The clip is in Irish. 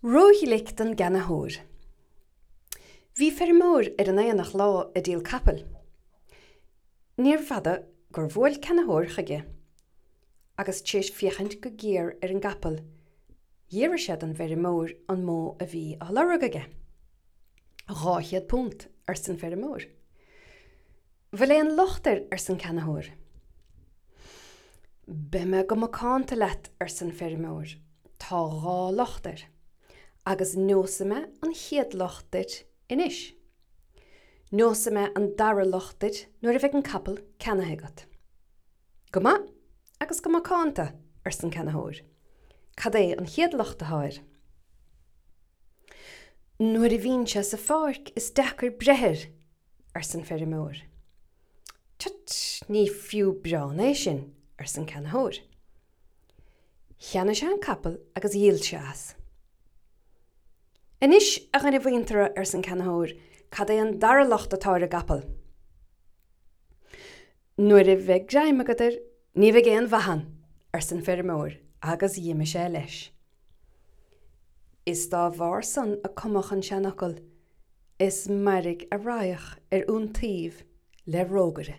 Róghlic don gceannaitheoir. Bhí feirmeoir ar an aonach lá ag díol capaill. Níorbh fhada gur bhuail ceannaitheoir chuige agus tar éis féachaint go géar ar an gcapall, d'fhiafraigh sé den bhfeirmeoir an mó a bhí á lorg aige. £200, arsa an feirmeoir. Bhfuil aon locht air? arsa an ceannaitheoir. Beidh mé go macánta leat, arsa an feirmeoir, tá dhá locht air, agus neosfaidh mé an chéad locht duit anois. Neosfaidh mé an dara locht duit nuair a bheidh an capall ceannaithe agat. Go maith agus go macánta, arsa an ceannaitheoir. Cad é an chéad locht atá air? Nuair a bhíonn sé sa pháirc is deacair breith air, arsa an feirmeoir. Tut, ní fiú biorán é sin, arsa an ceannaitheoir. Cheannaigh sé an capall agus dhíol sé as. Anois, a dhuine mhuinteartha, arsa an ceannaitheoir, cad é an dara locht atá ar an gcapall? Nuair a bheidh greim agat air, ní bheidh aon mhaith ann, arsa an feirmeoir agus dh'imigh sé leis. Is dá bharr san a cumadh an seanfhocal, Is mairg a raghadh ar iontaoibh le rógaire.